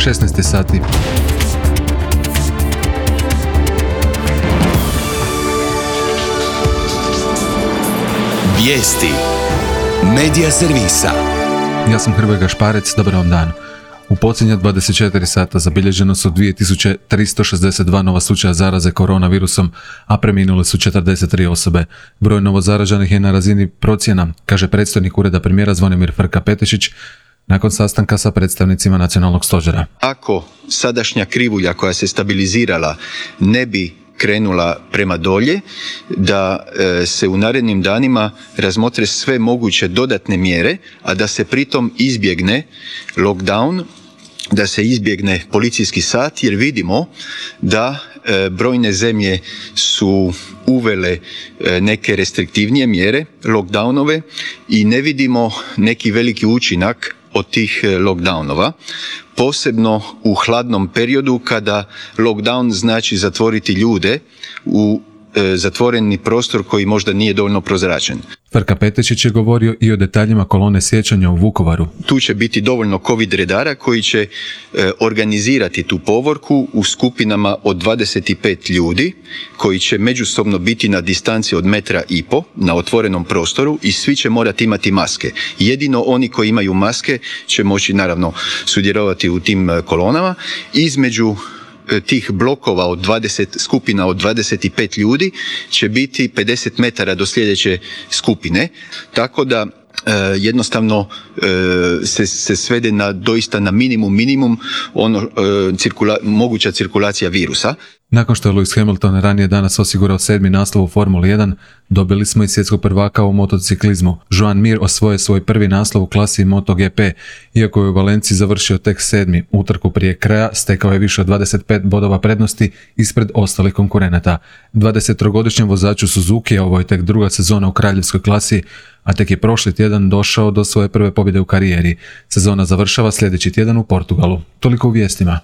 16 sati. Vijesti Medija servisa. Ja sam Hrvoje Gašparec, dobar vam dan. U posljednja 24 sata zabilježeno su 2362 nova slučaja zaraze koronavirusom, a preminule su 43 osobe. Broj novozaraženih je na razini procjena, kaže predstojnik ureda premijera Zvonimir Frka-Petešić nakon sastanka sa predstavnicima nacionalnog stožera. Ako sadašnja krivulja koja se stabilizirala ne bi krenula prema dolje, da se u narednim danima razmotre sve moguće dodatne mjere, a da se pritom izbjegne lockdown, da se izbjegne policijski sat, jer vidimo da brojne zemlje su uvele neke restriktivnije mjere, lockdownove, i ne vidimo neki veliki učinak od tih lockdownova, posebno u hladnom periodu kada lockdown znači zatvoriti ljude u zatvoreni prostor koji možda nije dovoljno prozračen. Frka-Petešić je govorio i o detaljima kolone sjećanja u Vukovaru. Tu će biti dovoljno COVID redara koji će organizirati tu povorku u skupinama od 25 ljudi koji će međusobno biti na distanci od 1,5 metra na otvorenom prostoru i svi će morati imati maske. Jedino oni koji imaju maske će moći naravno sudjelovati u tim kolonama. Između tih blokova od 20 skupina od 25 ljudi će biti 50 metara do sljedeće skupine, tako da jednostavno se svede na doista na minimum moguća cirkulacija virusa. Nakon što je Lewis Hamilton ranije danas osigurao 7. naslov u Formuli 1, dobili smo i svjetskog prvaka u motociklizmu. Joan Mir osvojio svoj prvi naslov u klasi MotoGP, iako je u Valenciji završio tek 7. utrku prije kraja, stekao je više od 25 bodova prednosti ispred ostalih konkurenata. 23-godišnjem vozaču Suzuki, ovo je tek druga sezona u kraljevskoj klasi, a tek je prošli tjedan došao do svoje prve pobjede u karijeri. Sezona završava sljedeći tjedan u Portugalu. Toliko u vijestima.